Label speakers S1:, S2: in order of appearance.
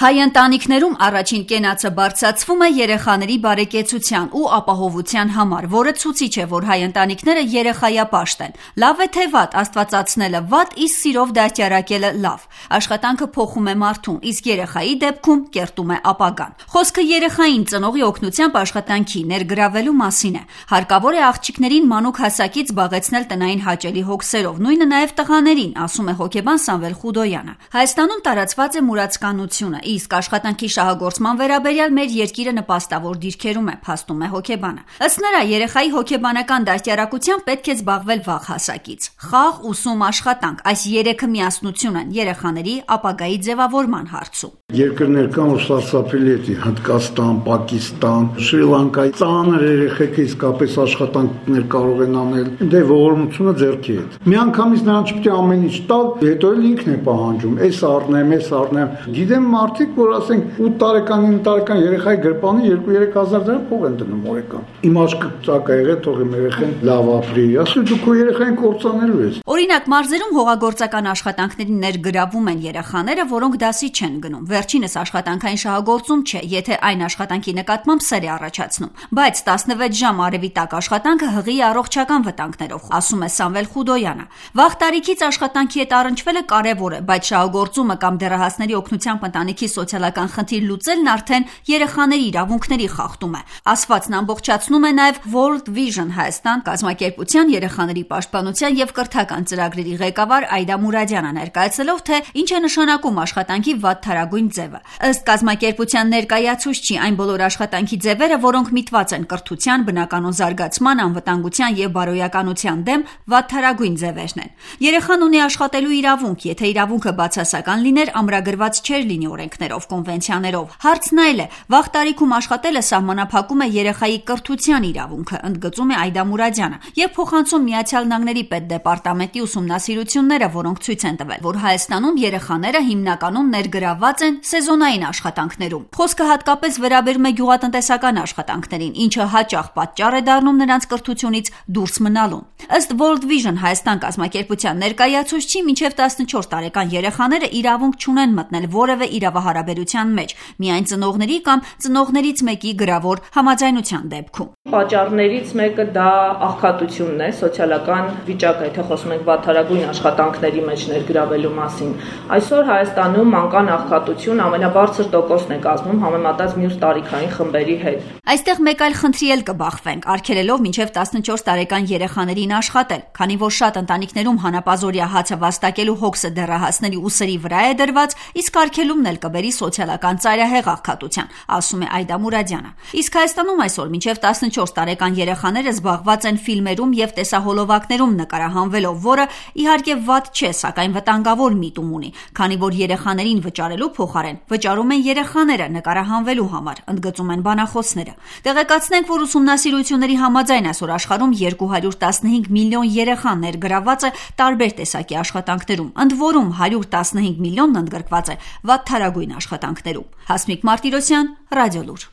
S1: Հայ ընտանիքներում առաջին կենացը բարձրացվում է երեխաների բարեկեցության ու ապահովության համար, որը ցուցիչ է, որ հայ ընտանիքները երեխայապաշտ են։ Լավ է թե վատ, աստվածացնելը վատ, իսկ սիրով դաստիարակելը լավ։ Աշխատանքը փոխում է մարդուն, իսկ երեխայի դեպքում կերտում է ապագան։ Խոսքը երեխային ծնողի օգնությամբ աշխատանքի ներգրավելու մասին է։ Հարկավոր է աղջիկներին մանուկ հասակից զբաղեցնել տնային հաճելի հոգսերով, նույնը նաև տղաներին, ասում է հոգեբան Սամվել Խուդոյանը։ Հայաստանում տարածված է մուրացկանությունը, իսկ աշխատանքի շահագործման վերաբերյալ մեր երկիրը նպաստավոր դիրքերում է, փաստում է հոգեբանը։ Ըստ նրա, երեխայի հոգեբանական դաստիարակությամբ պետք է զբաղվել վաղ հասակից։ Խաղ, ուսում, աշխատանք, այս երեքը միասնություն են երեխաների ապագայի ձևավորման հարցում։
S2: Երկրներ կան, որ սարսափելի է, Հնդկաստան, Պակիստան, Շրի Լանկայի ծանր երեխեքը իսկապես աշխատանքներ կարող են անել, դե ողորմությունը ձեռքի հետ։ Միանգամից նրան չպետք է ամեն ինչ տալ, հետո էլ ինքն է պահանջում, էս առնեմ։ Գիտեմ մարդիկ, որ ասենք 8 տարեկան, 9 տարեկան երեխայի գրպանի 2-3 հազար դրամ փող են դնում օրական։ Իմ աչքը ծակ է եղել, թող իմ երեխան լավ ապրի։ Ասում դու քո երեխային կործանելու ես։
S1: Օրինակ, մարզերում հողագործական աշխատանքների ներգրավում են երեխաները, որոնք դասի չեն գնում։ Վերջինս աշխատանքային շահագործում չէ, եթե այն աշխատանքի նկատմամբ սեր է առաջացնում, բայց 16 ժամ արևի տակ աշխատանքը հղի առողջական վտանգներով, ասում է Սամվել Խուդոյանը։ Վաղ տարիքից աշխատանքի հետ առնչվելը կարևոր է, բայց շահագործումը կամ դեռահասների օգնությամբ ընտանիքի սոցիալական խնդիր լուծելն արդեն երեխաների իրավունքների խախտում է։ Ասվածն ամբողջացնում է նաև World Vision Հայաստան կազմակերպության երեխաների պաշտպանության եւ կրթական ծրագրերի ղեկավար Այդա Մուրադյանը, ներկայացնելով, թե ինչ է նշանակում աշխատանքի վատթարագույն ձևը։ Ըստ կազմակերպության ներկայացուցչի, այն բոլոր աշխատանքի ձևերը, որոնք միտված են կրթության, բնականոն զարգացման, անվտանգության եւ բարոյականության դեմ, վատթարագույն ձևերն են։ Երեխան ունի աշխատելու իրավունք, եթե իրավունքը բացասական լիներ, ամրագրված չէր լինի օրենքներով, կոնվենցիաներով։ Հարցն այլ է, վաղ տարիքում աշխատելը սահմանափակում է երեխայի կրթության իրավունքը, ընդգծում է Այդա Մուրադյանը, եւ փոխանցում Միացյալ Նահանգների պետդեպարտամենտի ուսումնասիրությունները, որոնք ցույց են տվել, որ Հայաստանում երեխաները հիմնականում ներգրավված են սեզոնային աշխատանքներում։ Խոսքը հատկապես վերաբերում է գյուղատնտեսական աշխատանքներին, ինչը հաճախ պատճառ է դառնում նրանց կրթությունից դուրս մնալուն։ Ըստ World Vision Հայաստան կազմակերպության ներկայացուցչի, մինչև 14 տարեկան երեխաները իրավունք չունեն մտնել որևէ իրավահարաբերության մեջ, միայն ծնողների կամ ծնողներից մեկի գրավոր համաձայնության դեպքում։
S3: Պատճառներից մեկը դա աղքատությունն է, սոցիալական վիճակը, եթե խոսում ենք վատթարագույն աշխատանքների մեջ ներգրավելու մասին։ Այսօր Հայաստանում մանկան աղքատություն ամենաբարձր տոկոսն է կազմում համեմատած մյուս տարիքային խմբերի հետ։
S1: Այստեղ մեկ այլ խնդրի էլ կբախվենք, արգելելով մինչև 14 տարեկան երեխաներին աշխատել, քանի որ շատ ընտանիքներում հանապազօրյա հացը վաստակելու հոգսը դեռահասների ուսերի վրա է դրված, իսկ արգելումն էլ կբերի սոցիալական ծայրահեղ աղքատության, ասում է Այդա Մուրադյանը։ Իսկ Հայաստանում այսօր մինչև 14 տարեկան երեխաները զբաղված են ֆիլմերում եւ տեսահոլովակներում նկարահանվելով, որը իհարկե վատ չէ, սակայն վտանգավոր միտում ունի, քանի որ երեխաներին վճարելու փոխարեն վճարում են երեխաները նկարահանվելու համար, ընդգծում են բանախոսները։ Տեղեկացնենք, որ ուսումնասիրությունների համաձայն այսօր աշխարհում 215 միլիոն երեխա ներգրավված է տարբեր տեսակի աշխատանքներում, ընդ որում 115 միլիոնն ընդգրկված է վատթարագույն աշխատանքներում։ Հասմիկ Մարտիրոսյան, Ռադիոլուր։